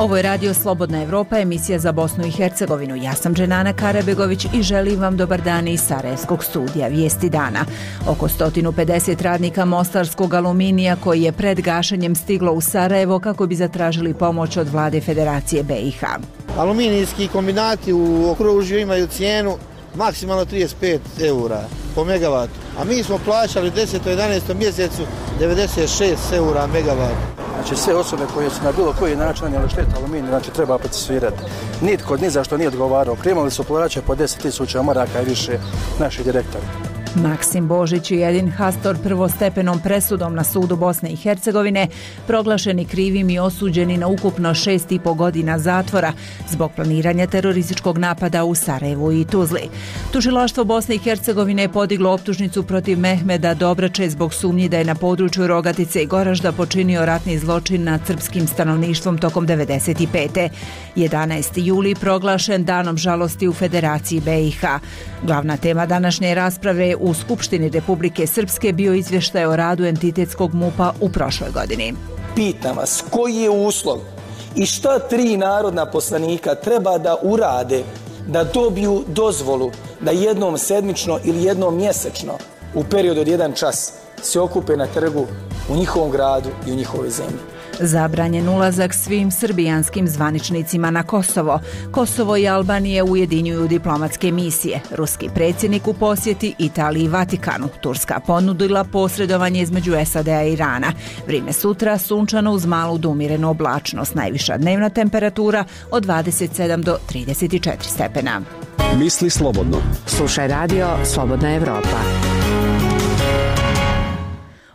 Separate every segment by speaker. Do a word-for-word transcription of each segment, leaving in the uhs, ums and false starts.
Speaker 1: Ovo je Radio Slobodna Evropa, emisija za Bosnu i Hercegovinu. Ja sam Dženana Karabegović i želim vam dobar dan iz Sarajevskog studija Vijesti dana. Oko sto pedeset radnika mostarskog aluminija koji je pred gašenjem stiglo u Sarajevo kako bi zatražili pomoć od vlade Federacije B i H.
Speaker 2: Aluminijski kombinati u okružju imaju cijenu maksimalno trideset pet eura po megavatu, a mi smo plaćali u desetom i jedanaestom mjesecu devedeset šest eura megavat.
Speaker 3: Znači sve osobe koje su na bilo koji način nanijele štetu aluminiju, znači treba procesuirati. Nitko ni za što nije odgovarao. Primali su plaće po deset tisuća maraka i više naši direktori.
Speaker 1: Maksim Božić i Edin Hastor prvostepenom presudom na sudu Bosne i Hercegovine proglašeni krivim i osuđeni na ukupno šest i po godina zatvora zbog planiranja terorističkog napada u Sarajevu i Tuzli. Tužilaštvo Bosne i Hercegovine je podiglo optužnicu protiv Mehmeda Dobrače zbog sumnji da je na području Rogatice i Goražda počinio ratni zločin nad srpskim stanovništvom tokom devedeset pete. jedanaesti juli proglašen danom žalosti u Federaciji B i H. Glavna tema današnje rasprave u Skupštini Republike Srpske bio izvještaj o radu entitetskog MUP-a u prošloj godini.
Speaker 4: Pitam vas, koji je uslov i šta tri narodna poslanika treba da urade da dobiju dozvolu da jednom sedmično ili jednom mjesečno u periodu od jedan čas se okupe na trgu u njihovom gradu i u njihovoj zemlji?
Speaker 1: Zabranjen ulazak svim srbijanskim zvaničnicima na Kosovo. Kosovo i Albanije ujedinjuju diplomatske misije. Ruski predsjednik u posjeti Italiji i Vatikanu. Turska ponudila posredovanje između S A D-a i Irana. Vrijeme sutra sunčano uz malu do umjerenu oblačnost. Najviša dnevna temperatura od dvadeset sedam do trideset četiri stepena.
Speaker 5: Misli slobodno.
Speaker 6: Slušaj Radio Slobodna Evropa.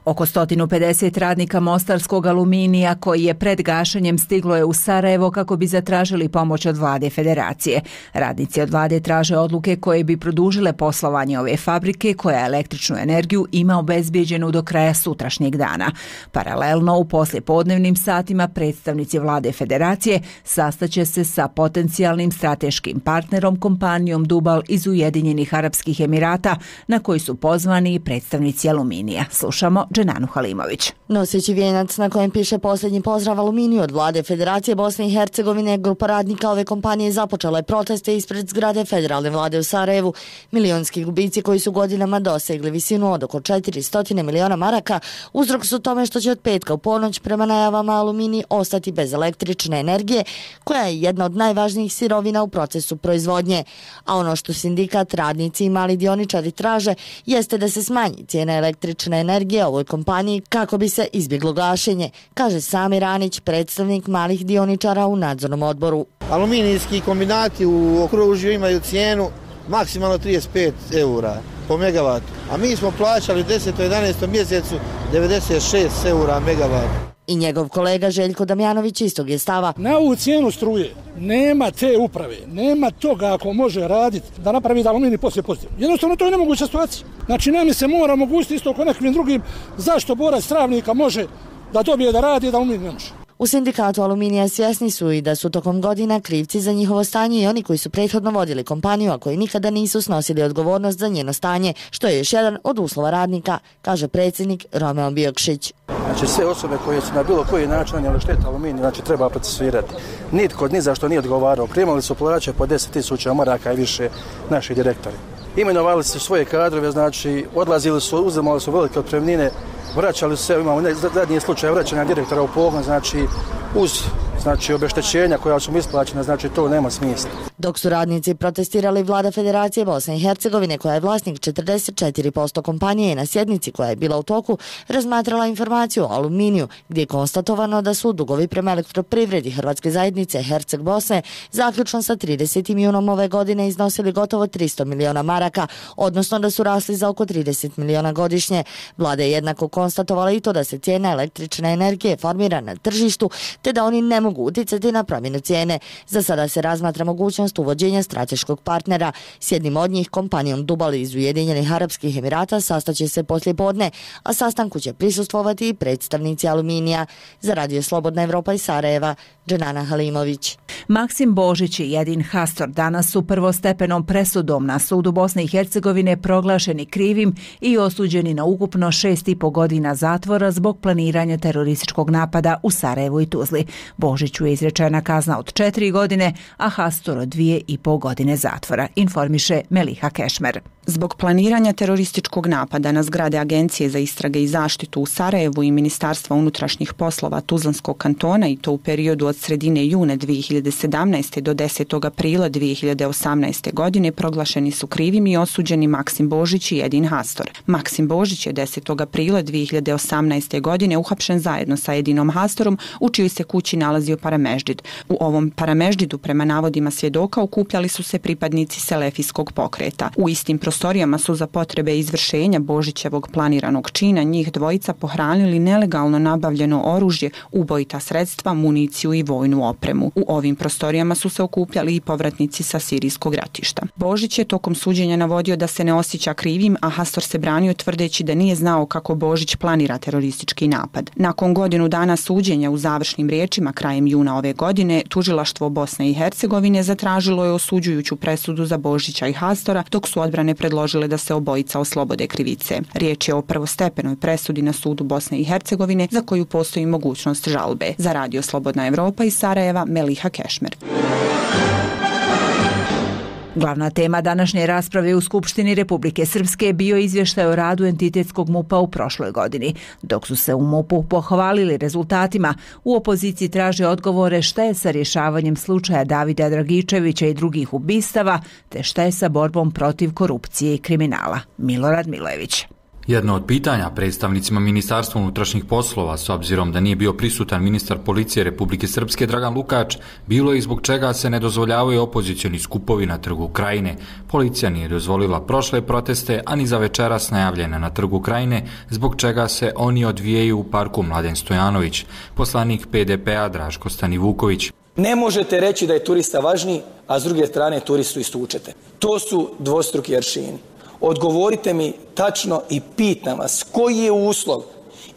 Speaker 1: Oko sto pedeset radnika mostarskog aluminija koji je pred gašenjem stiglo je u Sarajevo kako bi zatražili pomoć od vlade Federacije. Radnici od vlade traže odluke koje bi produžile poslovanje ove fabrike koja električnu energiju ima obezbijeđenu do kraja sutrašnjeg dana. Paralelno u poslijepodnevnim satima predstavnici vlade Federacije sastaće se sa potencijalnim strateškim partnerom kompanijom Dubal iz Ujedinjenih Arapskih Emirata na koji su pozvani i predstavnici aluminija. Slušamo Dženanu Halimović.
Speaker 7: Noseći vijenac na kojem piše posljednji pozdrav aluminiju od vlade Federacije Bosne i Hercegovine, grupa radnika ove kompanije započela je proteste ispred zgrade federalne vlade u Sarajevu. Milionski gubici koji su godinama dosegli visinu od oko četiristo miliona maraka uzrok su tome što će od petka u ponoć prema najavama aluminij ostati bez električne energije koja je jedna od najvažnijih sirovina u procesu proizvodnje. A ono što sindikat, radnici i mali dioničari traže jeste da se smanji cijena električne energije ovoj kompaniji kako bi se izbjeglo gašenje, kaže Samir Ranić, predstavnik malih dioničara u nadzornom odboru.
Speaker 2: Aluminijski kombinati u okružju imaju cijenu maksimalno trideset pet eura po megavatu, a mi smo plaćali u desetom i jedanaestom mjesecu devedeset šest eura megavat.
Speaker 7: I njegov kolega Željko Damjanović istog je stava.
Speaker 8: Na ovu cijenu struje nema te uprave, nema toga ako može raditi da napravi da aluminij poslije pozitivno. Jednostavno to je nemoguća situacija. Znači nam se mora omogućiti isto kao nekim drugim zašto borac Travnika može da dobije da radi da aluminij ne može.
Speaker 7: U sindikatu aluminija svjesni su i da su tokom godina krivci za njihovo stanje i oni koji su prethodno vodili kompaniju, a koji nikada nisu snosili odgovornost za njeno stanje, što je još jedan od uslova radnika, kaže predsjednik Romeo Biokšić.
Speaker 3: Znači sve osobe koje su na bilo koji način nanijele štetu aluminiju, znači treba procesuirati. Nitko ni za što nije odgovarao. Primali su plaće po deset tisuća maraka i više naši direktori. Imenovali su svoje kadrove, znači odlazili su, uzimali su velike otpremnine, vraćali su se, imamo zadnji slučaj vraćanja direktora u pogon, znači uz znači obeštećenja koja su isplaćena, znači to nema smisla.
Speaker 7: Dok su radnici protestirali, vlada Federacije Bosne i Hercegovine, koja je vlasnik četrdeset četiri posto kompanije, na sjednici koja je bila u toku razmatrala informaciju o aluminiju, gdje je konstatovano da su dugovi prema elektroprivredi Hrvatske zajednice Herceg Bosne zaključno sa tridesetim junom ove godine iznosili gotovo tristo miliona maraka, odnosno da su rasli za oko trideset miliona godišnje. Vlada je jednako konstatovala i to da se cijena električne energije formira na tržištu, te da oni ne mogu uticati na promjenu cijene. Za sada se razmatra mogućnost uvođenja strateškog partnera. S jednim od njih, kompanijom Dubal iz Ujedinjenih Arapskih Emirata, sastaće se poslijepodne, a sastanku će prisustvovati i predstavnici aluminija. Za Radio Slobodna Evropa iz Sarajeva, Dženana Halimović.
Speaker 1: Maksim Božić i Edin Hastor danas su prvostepenom presudom na sudu Bosne i Hercegovine proglašeni krivim i osuđeni na ukupno šest i po godina zatvora zbog planiranja terorističkog napada u Sarajevu i Tuzli. Božiću je izrečena kazna od četiri godine, a Hastor od dvije i po godine zatvora, informiše Meliha Kešmer.
Speaker 5: Zbog planiranja terorističkog napada na zgrade Agencije za istrage i zaštitu u Sarajevu i Ministarstva unutrašnjih poslova Tuzlanskog kantona, i to u periodu od sredine juna dvije hiljade sedamnaeste. do desetog aprila dvije hiljade osamnaeste. godine proglašeni su krivim i osuđeni Maksim Božić i Edin Hastor. Maksim Božić je desetog aprila dvije hiljade osamnaeste. godine uhapšen zajedno sa Edinom Hastorom, u čijoj se kući nalazio parameždžid. U ovom parameždžidu, prema navodima svjedoka, okupljali su se pripadnici selefijskog pokreta. U istim prostorijama su za potrebe izvršenja Božićevog planiranog čina njih dvojica pohranili nelegalno nabavljeno oružje, ubojita sredstva, municiju i vojnu opremu. U ovim prostorijama su se okupljali i povratnici sa sirijskog ratišta. Božić je tokom suđenja navodio da se ne osjeća krivim, a Hastor se branio tvrdeći da nije znao kako Božić planira teroristički napad. Nakon godinu dana suđenja, u završnim riječima krajem juna ove godine, tužilaštvo Bosne i Hercegovine zatražilo je osuđujuću presudu za Božića i Hastora, dok su odbrane predložile da se obojica oslobode krivice. Riječ je o prvostepenoj presudi na sudu Bosne i Hercegovine za koju postoji mogućnost žalbe. Za Radio Slobodna Evropa iz Sarajeva, Meliha Kešmer.
Speaker 1: Glavna tema današnje rasprave u Skupštini Republike Srpske bio izvještaj o radu entitetskog MUP-a u prošloj godini. Dok su se u MUP-u pohvalili rezultatima, u opoziciji traže odgovore šta je sa rješavanjem slučaja Davida Dragičevića i drugih ubistava, te šta je sa borbom protiv korupcije i kriminala. Milorad Milojević.
Speaker 9: Jedno od pitanja predstavnicima Ministarstva unutrašnjih poslova, s obzirom da nije bio prisutan ministar policije Republike Srpske Dragan Lukač, bilo je zbog čega se ne dozvoljavaju opozicioni skupovi na Trgu Krajine. Policija nije dozvolila prošle proteste, a ni za večeras najavljene na Trgu Krajine, zbog čega se oni odvijaju u parku Mladen Stojanović. Poslanik P D P-a Draško Stanivuković.
Speaker 4: Ne možete reći da je turista važniji, a s druge strane turistu istučete. To su dvostruki aršini. Odgovorite mi tačno i pitam vas koji je uslov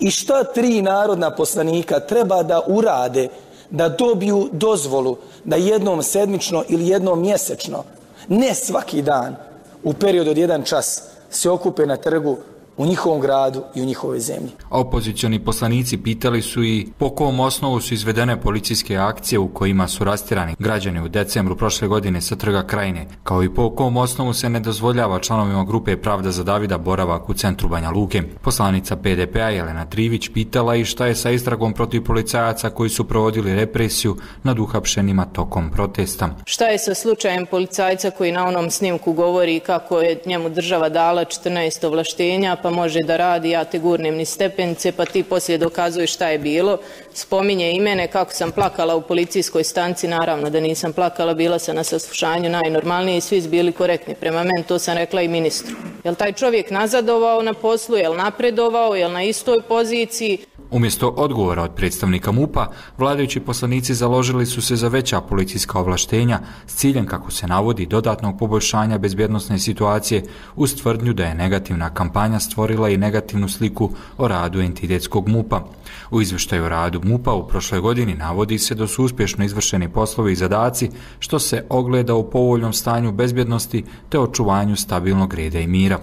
Speaker 4: i šta tri narodna poslanika treba da urade da dobiju dozvolu da jednom sedmično ili jednom mjesečno, ne svaki dan, u periodu od jedan čas se okupe na trgu u njihovom gradu i u njihovoj zemlji.
Speaker 9: Opozicioni poslanici pitali su i po kom osnovu su izvedene policijske akcije u kojima su rastirani građani u decembru prošle godine sa Trga Krajine, kao i po kom osnovu se ne dozvoljava članovima grupe Pravda za Davida boravak u centru Banja Luke. Poslanica P D P-a Jelena Trivić pitala i šta je sa istragom protiv policajaca koji su provodili represiju nad uhapšenima tokom protesta.
Speaker 10: Šta je sa slučajem policajca koji na onom snimku govori kako je njemu država dala četrnaest ovlaštenja, pa može da radi, ja te gurnem ni stepenice, pa ti poslije dokazuješ šta je bilo. Spominje i mene kako sam plakala u policijskoj stanci, naravno da nisam plakala, bila sam na saslušanju najnormalnije i svi su bili korektni prema meni, to sam rekla i ministru. Jel taj čovjek nazadovao na poslu, jel napredovao, jel na istoj poziciji?
Speaker 9: Umjesto odgovora od predstavnika MUP-a, vladajući poslanici založili su se za veća policijska ovlaštenja s ciljem, kako se navodi, dodatnog poboljšanja bezbjednosne situacije, uz tvrdnju da je negativna kampanja stvorila i negativnu sliku o radu entitetskog MUP-a. U izvještaju o radu MUP-a u prošloj godini navodi se da su uspješno izvršeni poslovi i zadaci, što se ogleda u povoljnom stanju bezbjednosti te očuvanju stabilnog reda i mira.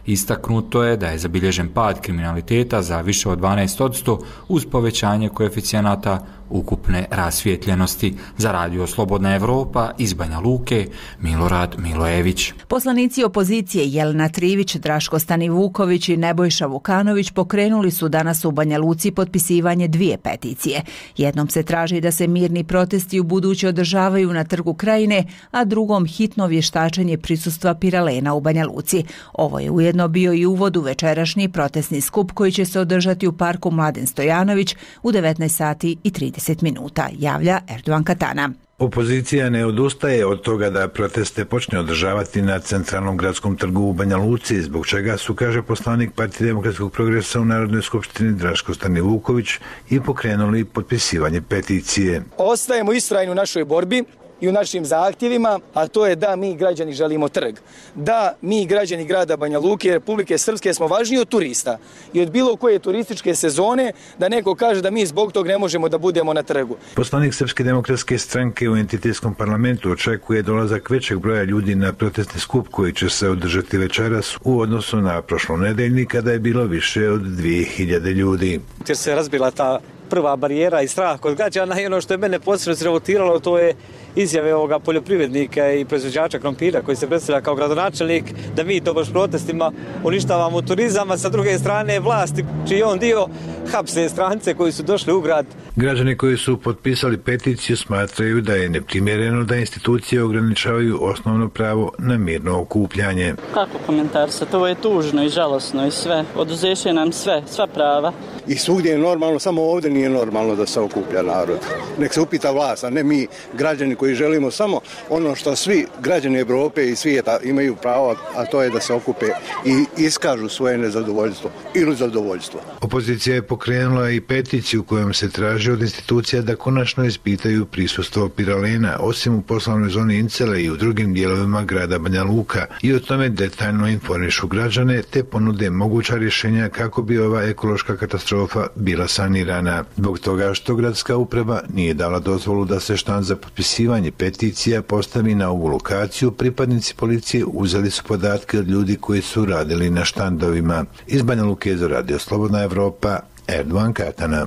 Speaker 9: Istaknuto je da je zabilježen pad kriminaliteta za više od dvanaest posto uz povećanje koeficijenata ukupne rasvijetljenosti. Za Radio Slobodna Evropa iz Banja Luke, Milorad Milojević.
Speaker 1: Poslanici opozicije Jelena Trivić, Draško Stanivuković i Nebojša Vukanović pokrenuli su danas u Banja Luci potpisivanje dvije peticije. Jednom se traži da se mirni protesti u buduće održavaju na Trgu Krajine, a drugom hitno vještačenje prisustva Piralena u Banja Luci. Ovo je ujedno bio i uvod u večerašnji protestni skup koji će se održati u parku Mladen Stojanović u devetnaest sati i trideset minuta, javlja Erdogan Katana.
Speaker 11: Opozicija ne odustaje od toga da proteste počne održavati na centralnom gradskom trgu u Banja Luci, zbog čega su, kaže poslanik Partije demokratskog progresa u Narodnoj skupštini Draško Stanivuković, i pokrenuli potpisivanje peticije.
Speaker 4: Ostajemo istrajni u našoj borbi i u našim zahtjevima, a to je da mi građani želimo trg. Da mi građani grada Banja Luke i Republike Srpske smo važniji od turista i od bilo koje turističke sezone, da neko kaže da mi zbog tog ne možemo da budemo na trgu.
Speaker 11: Poslanik Srpske demokratske stranke u entitetskom parlamentu očekuje dolazak većeg broja ljudi na protestni skup koji će se održati večeras u odnosu na prošlonedeljni kada je bilo više od dvije hiljade ljudi.
Speaker 12: Jer se razbila ta prva barijera i strah kod građana i ono što je mene posebno srevotiralo, to je izjave ovoga poljoprivrednika i proizvođača krompira koji se predstavlja kao gradonačelnik da mi to baš protestima uništavamo turizam, a sa druge strane vlasti čiji on dio hapse strance koji su došli u grad.
Speaker 11: Građani koji su potpisali peticiju smatraju da je neprimjereno da institucije ograničavaju osnovno pravo na mirno okupljanje.
Speaker 13: Kako komentar sa to je tužno i žalosno i sve, oduzeše nam sve, sva prava.
Speaker 14: I svugdje je normalno, samo ovdje nije normalno da se okuplja narod. Nek se upita vlast, a ne mi građani koji želimo samo ono što svi građani Evrope i svijeta imaju pravo, a to je da se okupe i iskažu svoje nezadovoljstvo ili zadovoljstvo.
Speaker 11: Opozicija je pokrenula i peticiju kojom se traži od institucija da konačno ispitaju prisustvo piralena, osim u poslovnoj zoni Incele i u drugim dijelovima grada Banja Luka, i o tome detaljno informišu građane te ponude moguća rješenja kako bi ova ekološka katastrofa bila sanirana. Zbog toga što gradska uprava nije dala dozvolu da se štand za potpisivanje peticija postavi na ovu lokaciju, pripadnici policije uzeli su podatke od ljudi koji su radili na štandovima. Iz Banja Luke za Radio Slobodna Evropa, Erdovan Katana.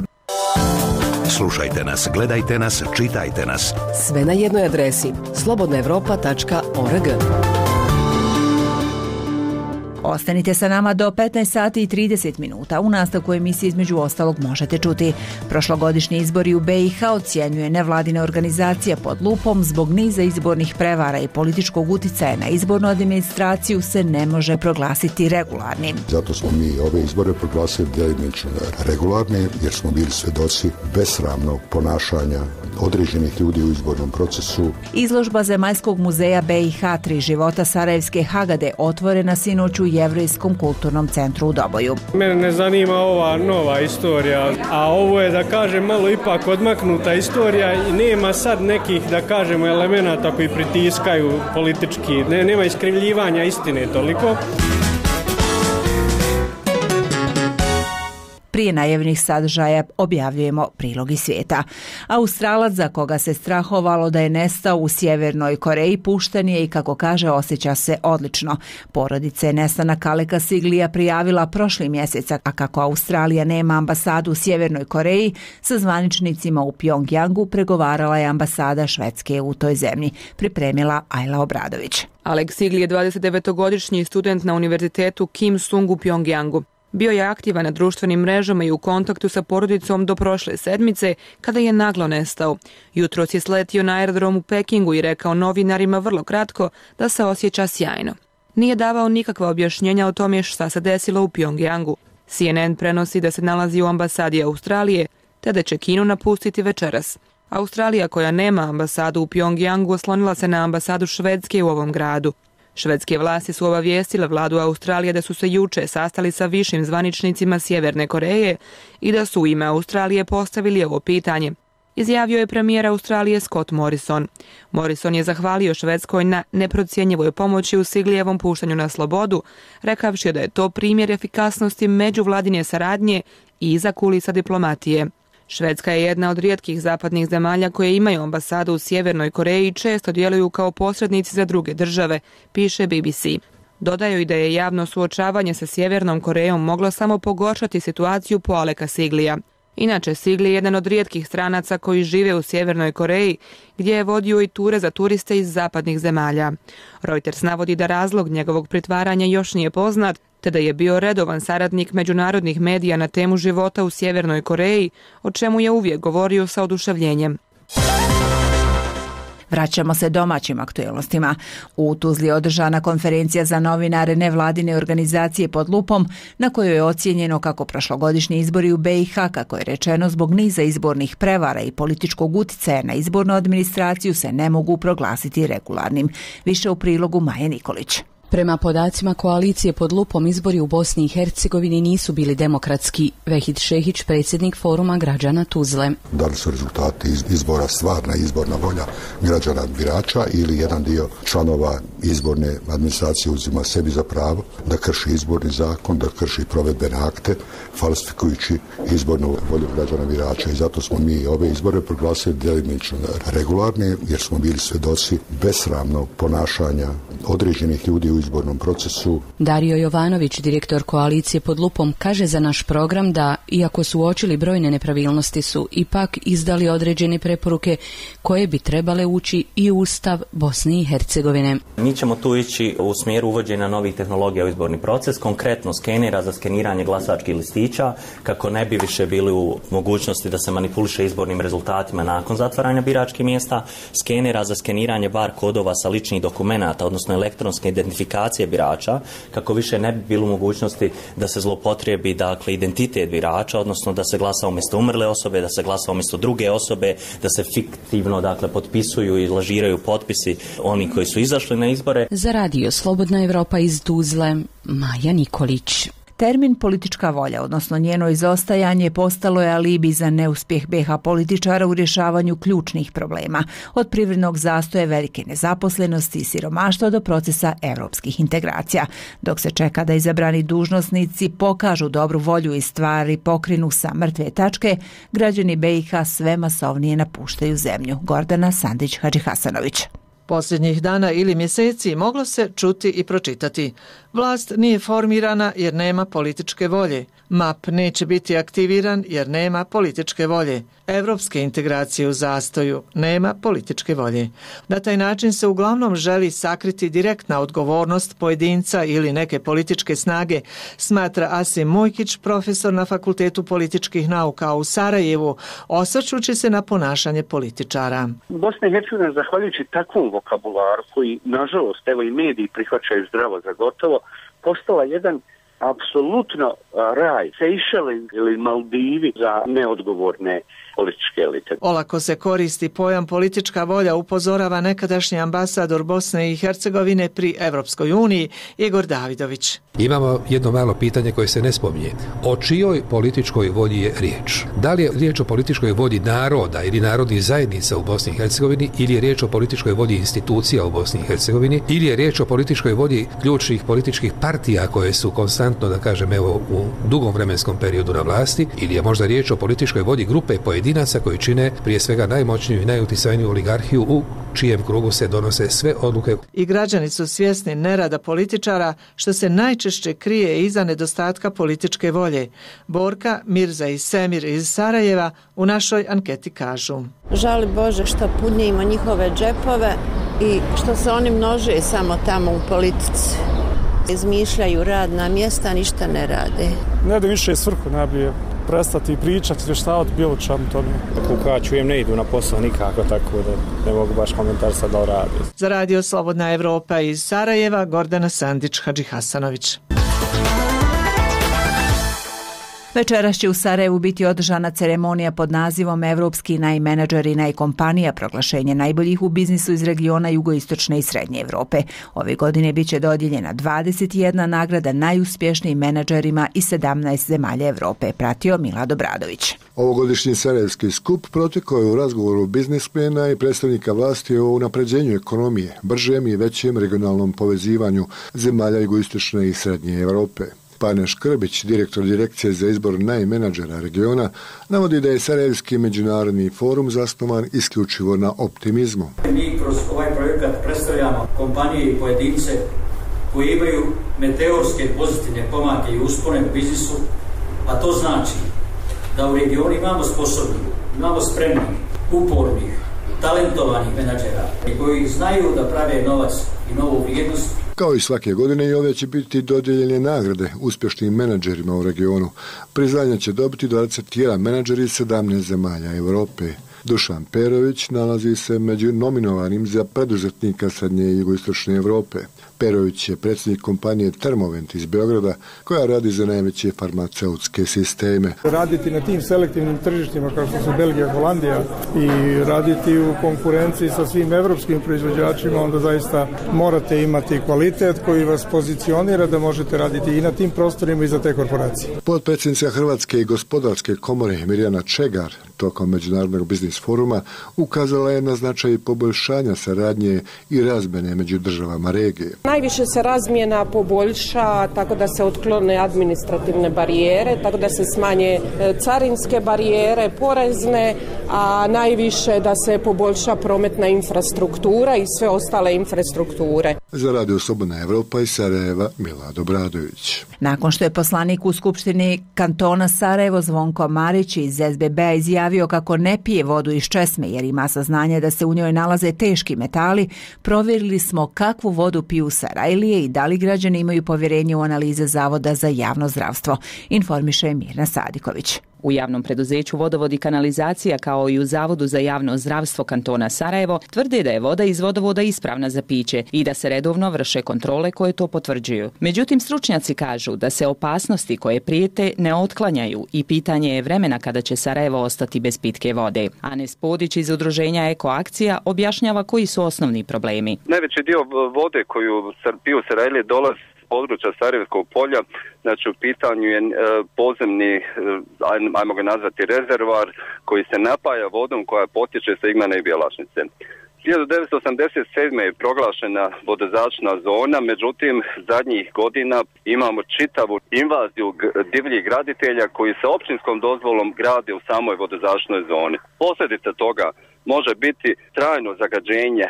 Speaker 15: Slušajte nas, gledajte nas, čitajte nas.
Speaker 6: Sve na jednoj adresi slobodna evropa tačka org.
Speaker 1: Ostanite sa nama do petnaest sati i trideset minuta. U nastavku emisije između ostalog možete čuti: prošlogodišnji izbori u be i ha ocjenjuje nevladina organizacija pod lupom zbog niza izbornih prevara i političkog uticaja na izbornu administraciju se ne može proglasiti regularnim.
Speaker 16: Zato smo mi ove izbore proglasili delimično regularne, jer smo bili svedoci besramnog ponašanja određenih ljudi u izbornom procesu.
Speaker 1: Izložba Zemaljskog muzeja be i ha Tri života Sarajevske Hagade otvorena sinoć u Jevrejskom kulturnom centru u Doboju.
Speaker 17: Mene ne zanima ova nova istorija, a ovo je, da kažem, malo ipak odmaknuta istorija i nema sad nekih, da kažemo, elemenata koji pritiskaju politički, ne, nema iskrivljivanja istine toliko.
Speaker 1: Prije najavljenih sadržaja objavljujemo prilog iz svijeta. Australac za koga se strahovalo da je nestao u Sjevernoj Koreji pušten je i, kako kaže, osjeća se odlično. Porodica je nestanak Aleka Siglija prijavila prošli mjesec, a kako Australija nema ambasadu u Sjevernoj Koreji, sa zvaničnicima u Pjongjangu pregovarala je ambasada Švedske u toj zemlji, pripremila Ajla Obradović.
Speaker 18: Alek Sigli je dvadesetdevetogodišnji student na univerzitetu Kim Sung u Pjongjangu. Bio je aktivan na društvenim mrežama i u kontaktu sa porodicom do prošle sedmice, kada je naglo nestao. Jutros je sletio na aerodrom u Pekingu i rekao novinarima vrlo kratko da se osjeća sjajno. Nije davao nikakva objašnjenja o tome šta se desilo u Pjongjangu. C N N prenosi da se nalazi u ambasadi Australije, te da će Kinu napustiti večeras. Australija, koja nema ambasadu u Pjongjangu, oslonila se na ambasadu Švedske u ovom gradu. Švedske vlasti su obavijestile vladu Australije da su se juče sastali sa višim zvaničnicima Sjeverne Koreje i da su u ime Australije postavili ovo pitanje, izjavio je premijer Australije Scott Morrison. Morrison je zahvalio Švedskoj na neprocjenjivoj pomoći u Siglijevom puštanju na slobodu, rekavši da je to primjer efikasnosti međuvladine saradnje i iza kulisa diplomatije. Švedska je jedna od rijetkih zapadnih zemalja koje imaju ambasadu u Sjevernoj Koreji i često djeluju kao posrednici za druge države, piše B B C. Dodaju i da je javno suočavanje sa Sjevernom Korejom moglo samo pogoršati situaciju po Aleka Siglija. Inače, Sigli je jedan od rijetkih stranaca koji žive u Sjevernoj Koreji, gdje je vodio i ture za turiste iz zapadnih zemalja. Reuters navodi da razlog njegovog pritvaranja još nije poznat, te da je bio redovan saradnik međunarodnih medija na temu života u Sjevernoj Koreji, o čemu je uvijek govorio sa oduševljenjem.
Speaker 1: Vraćamo se domaćim aktualnostima. U Tuzli je održana konferencija za novinare nevladine organizacije pod lupom, na kojoj je ocijenjeno kako prošlogodišnji izbori u be i ha, kako je rečeno, zbog niza izbornih prevara i političkog uticaja na izbornu administraciju se ne mogu proglasiti regularnim. Više u prilogu Maje Nikolić.
Speaker 19: Prema podacima koalicije pod lupom, izbori u Bosni i Hercegovini nisu bili demokratski. Vehid Šehić, predsjednik Foruma građana Tuzle.
Speaker 16: Da li su rezultati izbora stvarna izborna volja građana birača ili jedan dio članova izborne administracije uzima sebi za pravo da krši izborni zakon, da krši provedbene akte, falsifikujući izbornu volju građana birača. I zato smo mi ove izbore proglasili djelimično regularne, jer smo bili svjedoci besramnog ponašanja određenih ljudi u izbornom procesu.
Speaker 19: Dario Jovanović, direktor koalicije pod lupom, kaže za naš program da, iako su uočili brojne nepravilnosti, su ipak izdali određene preporuke koje bi trebale ući i u Ustav Bosne i Hercegovine.
Speaker 20: Mi ćemo tu ići u smjeru uvođenja novih tehnologija u izborni proces, konkretno skenera za skeniranje glasačkih listića, kako ne bi više bili u mogućnosti da se manipuliše izbornim rezultatima nakon zatvaranja biračkih mjesta, skenera za skeniranje bar kodova sa ličnih dokumenata, odnosno elektronske identifikacije birača, kako više ne bi bilo u mogućnosti da se zloupotrijebi, dakle, identitet birača, odnosno da se glasa umjesto umrle osobe, da se glasa umjesto druge osobe, da se fiktivno, dakle, potpisuju i lažiraju potpisi oni koji su izašli na izbore.
Speaker 19: Za radio Slobodna Evropa iz Tuzle, Maja Nikolić.
Speaker 1: Termin politička volja, odnosno njeno izostajanje, postalo je alibi za neuspjeh be ha političara u rješavanju ključnih problema, od privrednog zastoja, velike nezaposlenosti i siromaštva do procesa europskih integracija. Dok se čeka da izabrani dužnosnici pokažu dobru volju i stvari pokrinu sa mrtve tačke, građani be i ha sve masovnije napuštaju zemlju. Gordana Sandić-Hadžihasanović.
Speaker 21: Posljednjih dana ili mjeseci moglo se čuti i pročitati. Vlast nije formirana jer nema političke volje. map neće biti aktiviran jer nema političke volje. Evropske integracije u zastoju, nema političke volje. Na taj način se uglavnom želi sakriti direktna odgovornost pojedinca ili neke političke snage, smatra Asim Mujkić, profesor na Fakultetu političkih nauka u Sarajevu, osvrćući se na ponašanje političara.
Speaker 22: Bosna i Hercegovina, zahvaljujući takvom vokabularu koji, nažalost, evo i mediji prihvaćaju zdravo za gotovo, postala jedan apsolutno raj, Sejšeli ili Maldivi za neodgovorne političke elite.
Speaker 21: Olako se koristi pojam politička volja, upozorava nekadašnji ambasador Bosne i Hercegovine pri Evropskoj uniji Igor Davidović.
Speaker 23: Imamo jedno malo pitanje koje se ne spominje. O čijoj političkoj volji je riječ? Da li je riječ o političkoj volji naroda ili narodnih zajednica u Bosni i Hercegovini, ili je riječ o političkoj volji institucija u Bosni i Hercegovini, ili je riječ o političkoj volji ključnih političkih partija koje su konstantno, da kažem, evo, u dugom vremenskom periodu na vlasti, ili je možda riječ o političkoj volji grupe pojedinaca koji čine prije svega najmoćniju i najuticajniju oligarhiju u čijem krugu se donose sve odluke.
Speaker 21: I građani su svjesni nerada političara, što se najčešće krije iza nedostatka političke volje. Borka, Mirza i Semir iz Sarajeva u našoj anketi kažu:
Speaker 24: žali Bože što punimo njihove džepove i što se oni množe samo tamo u politici. Izmišljaju radna mjesta, ništa ne rade.
Speaker 25: Ne da više svrhu nabije prestati pričati, izvještavati bilo čemu tome.
Speaker 12: Kako ja čujem, ne idu na posao nikako, tako da ne mogu baš komentar sad da radi.
Speaker 21: Za radio Slobodna Evropa iz Sarajeva, Gordana Sandić-Hadžihasanović.
Speaker 1: Večeras će u Sarajevu biti održana ceremonija pod nazivom Evropski najmenadžeri najkompanija, proglašenje najboljih u biznisu iz regiona jugoistočne i srednje Evrope. Ove godine bit će dodijeljena dvadeset jedna nagrada najuspješnijim menadžerima iz sedamnaest zemalja Evrope, pratio Milad Obradović.
Speaker 26: Ovogodišnji sarajevski skup protekao je u razgovoru biznismena i predstavnika vlasti o unapređenju ekonomije, bržem i većem regionalnom povezivanju zemalja jugoistočne i srednje Evrope. Pane Škrbić, direktor direkcije za izbor najmenadžera regiona, navodi da je Sarajevski međunarodni forum zasnovan isključivo na optimizmu.
Speaker 27: Mi kroz ovaj projekat predstavljamo kompanije i pojedince koji imaju meteorske pozitivne pomake i uspone u biznisu, a to znači da u regionu imamo sposobnih, imamo spremnih, upornih, talentovanih menadžera koji znaju da prave novac i novu vrijednost.
Speaker 26: Kao i svake godine i ove će biti dodijeljene nagrade uspješnim menadžerima u regionu. Priznanja će dobiti dvadeset jedan menadžer iz sedamnaest zemalja Europe. Dušan Perović nalazi se među nominovanim za preduzetnika Srednje i Jugoistočne Evrope. Perović je predsjednik kompanije Termovent iz Beograda koja radi za najveće farmaceutske sisteme.
Speaker 25: Raditi na tim selektivnim tržištima kao što su Belgija, Holandija i raditi u konkurenciji sa svim evropskim proizvođačima, onda zaista morate imati kvalitet koji vas pozicionira da možete raditi i na tim prostorima i za te korporacije.
Speaker 26: Potpredsjednica Hrvatske i gospodarske komore Mirjana Čegar tokom Međunarodnog biznis foruma ukazala je na značaj poboljšanja saradnje i razmjene među državama regije.
Speaker 2: Najviše se razmjena poboljša tako da se otklone administrativne barijere, tako da se smanje carinske barijere, porezne, a najviše da se poboljša prometna infrastruktura i sve ostale infrastrukture.
Speaker 26: Za Radio Slobodna Evropa iz Sarajeva, Milad Obradović.
Speaker 1: Nakon što je poslanik u Skupštini kantona Sarajevo Zvonko Marić iz S B B-a izjavio kako ne pije vodu iz česme jer ima saznanje da se u njoj nalaze teški metali, provjerili smo kakvu vodu piju Sarajlije i da li građani imaju povjerenje u analize Zavoda za javno zdravstvo, informiše Mirna Sadiković.
Speaker 3: U javnom preduzeću Vodovod i kanalizacija kao i u Zavodu za javno zdravstvo kantona Sarajevo tvrde da je voda iz vodovoda ispravna za piće i da se redovno vrše kontrole koje to potvrđuju. Međutim, stručnjaci kažu da se opasnosti koje prijete ne otklanjaju i pitanje je vremena kada će Sarajevo ostati bez pitke vode. Anes Podić iz udruženja Ekoakcija objašnjava koji su osnovni problemi.
Speaker 5: Najveći dio vode koju piju Sarajlije dolazi područja Sarajevskog polja, znači u pitanju je e, pozemni, e, ajmo ga nazvati rezervoar, koji se napaja vodom koja potječe sa Igmana i Bjelašnice. hiljadu devetsto osamdeset sedme. je proglašena vodozaštitna zona, međutim zadnjih godina imamo čitavu invaziju divljih graditelja koji sa općinskom dozvolom grade u samoj vodozaštitnoj zoni. Posljedica toga može biti trajno zagađenje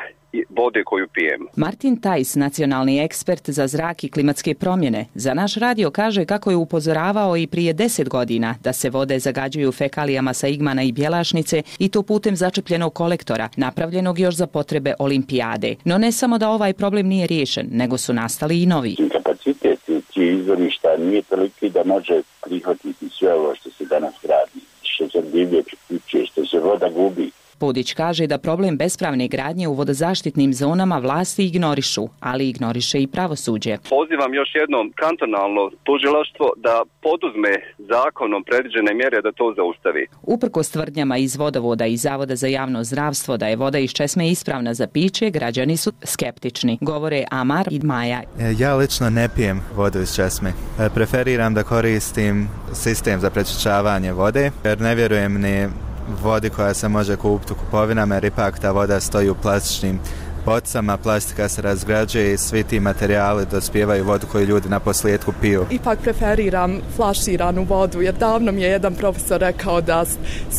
Speaker 5: vode koju pijemo.
Speaker 3: Martin Tajs, nacionalni ekspert za zrak i klimatske promjene, za naš radio kaže kako je upozoravao i prije deset godina da se vode zagađuju fekalijama sa Igmana i Bjelašnice i to putem začepljenog kolektora, napravljenog još za potrebe olimpijade. No ne samo da ovaj problem nije riješen, nego su nastali i novi.
Speaker 7: Kapacitet tih izvorišta nije toliki da može prihvatiti sve ovo što se danas gradi, što se divlje priključuje, što se voda gubi.
Speaker 3: Podić kaže da problem bespravne gradnje u vodozaštitnim zonama vlasti ignorišu, ali ignoriše i pravosuđe.
Speaker 5: Pozivam još jednom kantonalno tužilaštvo da poduzme zakonom predviđene mjere da to zaustavi.
Speaker 3: Uprkos tvrdnjama iz Vodovoda i Zavoda za javno zdravstvo da je voda iz česme ispravna za piće, građani su skeptični, govore Amar i Maja.
Speaker 8: Ja lično ne pijem vodu iz česme. Preferiram da koristim sistem za prečišćavanje vode, jer ne vjerujem ni vodi koja se može kupiti u kupovinama, jer ipak ta voda stoji u plastičnim bocama, plastika se razgrađuje i svi ti materijali dospijevaju vodu koju ljudi na posljedku piju.
Speaker 9: Ipak preferiram flaširanu vodu, jer davno mi je jedan profesor rekao da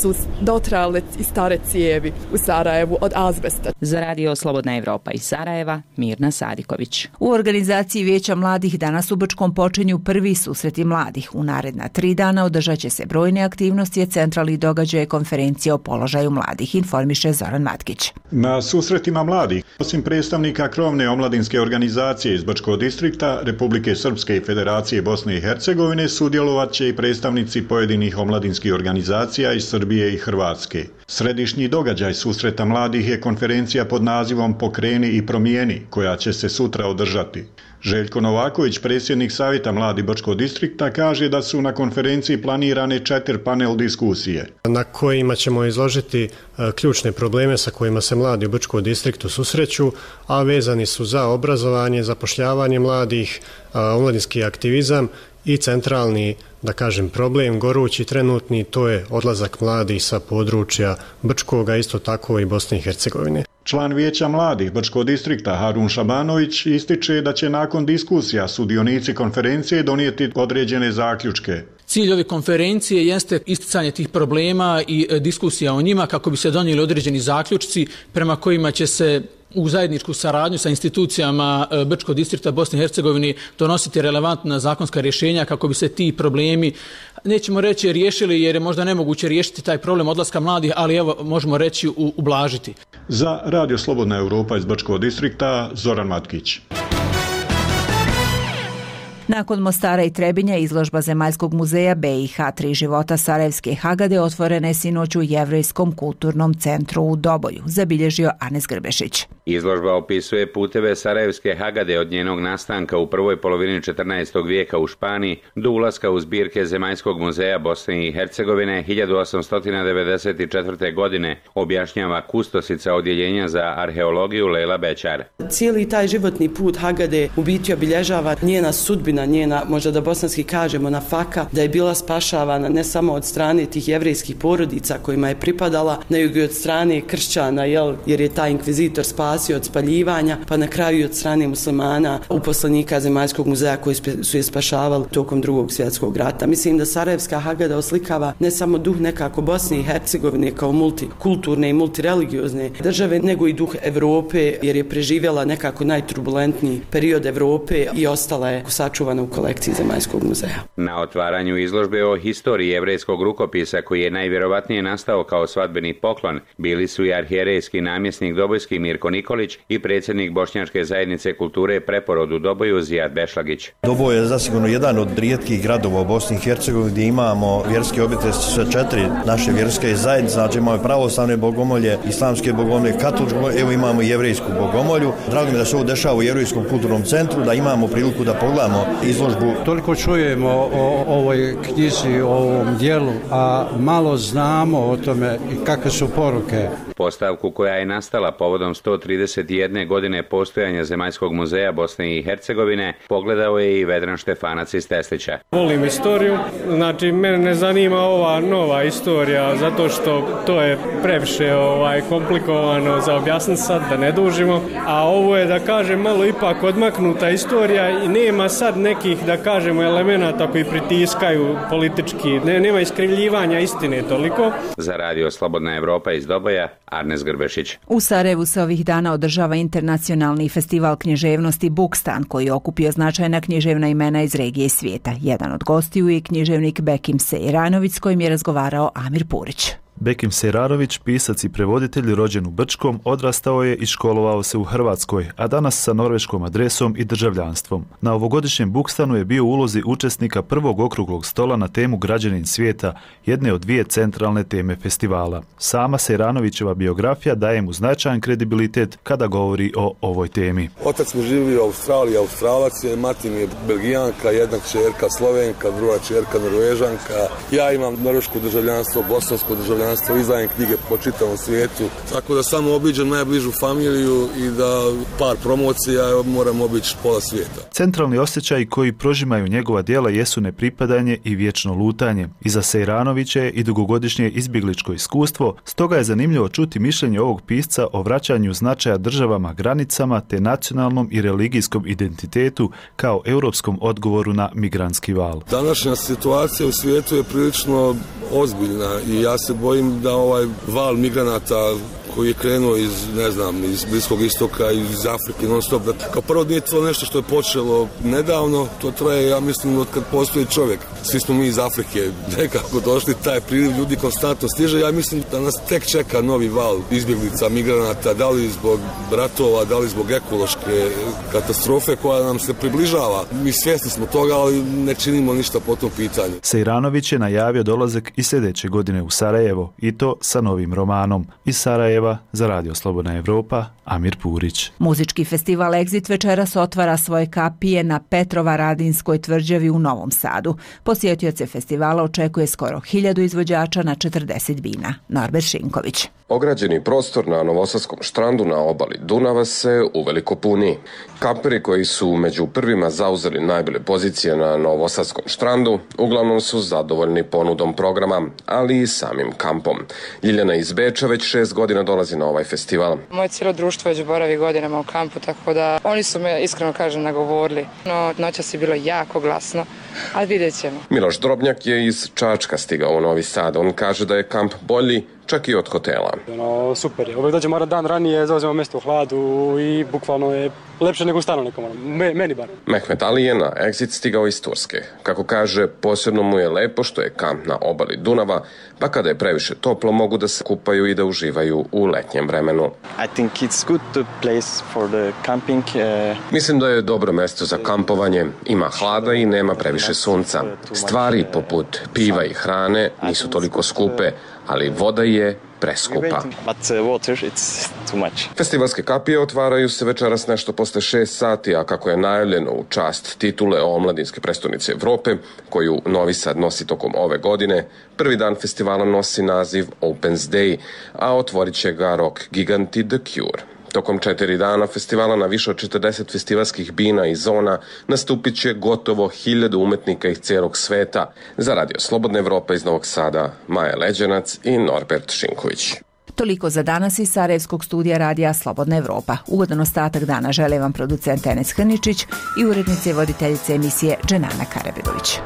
Speaker 9: su dotrajale i stare cijevi u Sarajevu od azbesta.
Speaker 3: Za Radio Slobodna Evropa iz Sarajeva, Mirna Sadiković.
Speaker 1: U organizaciji Vijeća mladih danas u Brčkom počinju prvi susreti mladih. U naredna tri dana održat će se brojne aktivnosti, centralni događaje konferencije o položaju mladih, informiše Zoran Matkić.
Speaker 10: Na susretima mladih, osim predstavnika krovne omladinske organizacije iz Brčkog distrikta, Republike Srpske i Federacije Bosne i Hercegovine, sudjelovat će i predstavnici pojedinih omladinskih organizacija iz Srbije i Hrvatske. Središnji događaj susreta mladih je konferencija pod nazivom Pokreni i promijeni, koja će se sutra održati. Željko Novaković, predsjednik Savjeta mladih Brčkog distrikta, kaže da su na konferenciji planirane četiri panel diskusije,
Speaker 28: na kojima ćemo izložiti ključne probleme sa kojima se mladi u Brčkom distriktu susreću, a vezani su za obrazovanje, zapošljavanje mladih, omladinski aktivizam i centralni, da kažem, problem, gorući trenutni, to je odlazak mladih sa područja Brčkoga, isto tako i Bosne i Hercegovine.
Speaker 10: Član Vijeća mladih Brčkog distrikta Harun Šabanović ističe da će nakon diskusija sudionici konferencije donijeti određene zaključke.
Speaker 29: Cilj ove konferencije jeste isticanje tih problema i diskusija o njima kako bi se donijeli određeni zaključci prema kojima će se u zajedničku saradnju sa institucijama Brčkog distrikta Bosne i Hercegovine donositi relevantna zakonska rješenja kako bi se ti problemi, nećemo reći riješili jer je možda nemoguće riješiti taj problem odlaska mladih, ali evo možemo reći ublažiti.
Speaker 10: Za Radio Slobodna Evropa iz Brčkog distrikta, Zoran Matkić.
Speaker 1: Nakon Mostara i Trebinja, izložba Zemaljskog muzeja B i H Tri života Sarajevske Hagade otvorena je sinoć u Jevrejskom kulturnom centru u Doboju, zabilježio Anes Grbešić.
Speaker 4: Izložba opisuje puteve Sarajevske Hagade od njenog nastanka u prvoj polovini četrnaestog vijeka u Španiji do ulaska u zbirke Zemaljskog muzeja Bosne i Hercegovine hiljadu osamsto devedeset četvrte. godine, objašnjava kustosica odjeljenja za arheologiju Lejla Bećar.
Speaker 6: Cijeli taj životni put Hagade u biti obilježava njena sudbina, njena, možda da bosanski kažemo, nafaka, da je bila spašavana ne samo od strane tih jevrejskih porodica kojima je pripadala, nego i od strane kršćana, jel, jer je taj inkvizitor spasio od spaljivanja, pa na kraju i od strane muslimana, uposlenika Zemaljskog muzeja koji su je spašavali tokom drugog svjetskog rata. Mislim da Sarajevska Hagada oslikava ne samo duh nekako Bosne i Hercegovine kao multikulturne i multireligiozne države, nego i duh Evrope, jer je preživjela nekako najturbulentniji period Evrope i ostala je sačuvana u kolekciji Zemaljskog muzeja.
Speaker 4: Na otvaranju izložbe o historiji jevrejskog rukopisa, koji je najvjerovatnije nastao kao svadbeni poklon, bili su i arhijerejski namjesnik Dobojski Mirko Nikolić i predsjednik Bošnjačke zajednice kulture Preporod u Doboju Zijad Bešlagić.
Speaker 11: Doboj je zasigurno jedan od rijetkih gradova u Bosni i Hercegovini gdje imamo vjerske objekte sa četiri naše vjerske zajednice, znači imamo pravoslavne bogomolje, islamske bogomolje, katoličke bogomolje, evo imamo i jevrejsku bogomolju. Drago mi da se ovo dešava u Jevrejskom kulturnom centru, da imamo priliku da pogledamo izložbu.
Speaker 13: Toliko čujemo o ovoj knjizi, o ovom dijelu, a malo znamo o tome i kakve su poruke.
Speaker 4: Postavku koja je nastala povodom sto trideset jedne godine postojanja Zemaljskog muzeja Bosne i Hercegovine pogledao je i Vedran Štefanac iz Teslića.
Speaker 14: Volim istoriju, znači mene ne zanima ova nova istorija zato što to je previše ovaj, komplikovano za objasniti sad, da ne dužimo, a ovo je, da kažem, malo ipak odmaknuta istorija i nema sad nekih, da kažemo, elemenata koji pritiskaju politički, ne, nema iskrivljivanja istine toliko.
Speaker 4: Za radio Slobodna Evropa iz Doboja, Arnes Grbešić.
Speaker 1: U Sarajevu se ovih dana održava internacionalni festival književnosti Bukstan, koji je okupio značajna književna imena iz regije i svijeta. Jedan od gostiju je književnik Bekim Sejranović, s kojim je razgovarao Amir Purić.
Speaker 15: Bekim Sejrarović, pisac i prevoditelj rođen u Brčkom, odrastao je i školovao se u Hrvatskoj, a danas sa norveškom adresom i državljanstvom. Na ovogodišnjem Bukstanu je bio u ulozi učesnika prvog okruglog stola na temu Građanin svijeta, jedne od dvije centralne teme festivala. Sama Sejranovićeva biografija daje mu značajan kredibilitet kada govori o ovoj temi.
Speaker 16: Otac mi živi u Australiji, Australac je, mati mi je Belgijanka, jedna kćerka Slovenka, druga kćerka Norvežanka. Ja imam norveško državljanstvo, bosansko državljanstvo, izdajem knjige po čitavom svijetu, tako da samo obiđem najbližu familiju i da par promocija moram obići pola svijeta.
Speaker 15: Centralni osjećaj koji prožimaju njegova djela jesu nepripadanje i vječno lutanje. Iza Sejranovića je i dugogodišnje izbjegličko iskustvo, stoga je zanimljivo čuti mišljenje ovog pisca o vraćanju značaja državama, granicama te nacionalnom i religijskom identitetu kao europskom odgovoru na migrantski val.
Speaker 16: Današnja situacija u svijetu je prilično ozbiljna i ja se bojim da ovaj val migranata koji je krenuo iz, ne znam, iz Bliskog istoka, iz Afrike non stop, da kao prvo nije to nešto što je počelo nedavno, to traje, ja mislim, od kad postoji čovjek. Svi smo mi iz Afrike nekako došli, taj priliv ljudi konstantno stiže, ja mislim da nas tek čeka novi val izbjeglica, migranata, da li zbog ratova, da li zbog ekološke katastrofe koja nam se približava. Mi svjesni smo toga, ali ne činimo ništa po tom pitanju.
Speaker 15: Sejranović je najavio dolazak i sljedeće godine u Sarajevo, i to sa novim romanom. Iz Sarajeva za radio Slobodna Evropa, Amir Purić.
Speaker 1: Muzički festival Exit večeras otvara svoje kapije na Petrovaradinskoj tvrđavi u Novom Sadu. Posjetioce festivala očekuje skoro hiljadu izvođača na četrdeset vina. Norbert Šinković.
Speaker 17: Ograđeni prostor na Novosadskom štrandu na obali Dunava se uveliko puni. Kamperi koji su među prvima zauzeli najbolje pozicije na Novosadskom štrandu uglavnom su zadovoljni ponudom programa, ali i samim kampom. Ljiljana iz Beča već šest godina dolazi na ovaj festival.
Speaker 18: Moje cijelo društvo već boravi godinama u kampu, tako da oni su me, iskreno kažem, nagovorili. No, noćas je bilo jako glasno, ali vidjet ćemo.
Speaker 17: Miloš Drobnjak je iz Čačka stigao u Novi Sad. On kaže da je kamp bolji čak i od hotela.
Speaker 12: No, super je. Uvijek dođemo dan ranije, zauzemo mjesto u hladu i bukvalno je lepše nego u stanu nekom, Me, meni bar.
Speaker 17: Mehmet Ali je na Exit stigao iz Turske. Kako kaže, posebno mu je lepo što je kamp na obali Dunava, pa kada je previše toplo mogu da se kupaju i da uživaju u letnjem vremenu.
Speaker 19: I think it's good to place for the camping. Uh...
Speaker 17: Mislim da je dobro mjesto za kampovanje. Ima hlada i nema previše sunca. Stvari poput piva i hrane nisu toliko skupe, ali voda je preskupa. Festivalske kapije otvaraju se večeras nešto posle šest sati, a kako je najavljeno u čast titule omladinske prestonice Evrope, koju Novi Sad nosi tokom ove godine, prvi dan festivala nosi naziv Opens Day, a otvorit će ga rock giganti The Cure. Tokom četiri dana festivala na više od četrdeset festivalskih bina i zona nastupit će gotovo hiljadu umetnika iz cijelog sveta. Za Radio Slobodna Evropa iz Novog Sada, Maja Leđenac i Norbert Šinković.
Speaker 1: Toliko za danas iz Sarajevskog studija Radija Slobodna Evropa. Ugodan ostatak dana žele vam producent Enes Hrničić i urednice i voditeljice emisije Dženana Karabegović.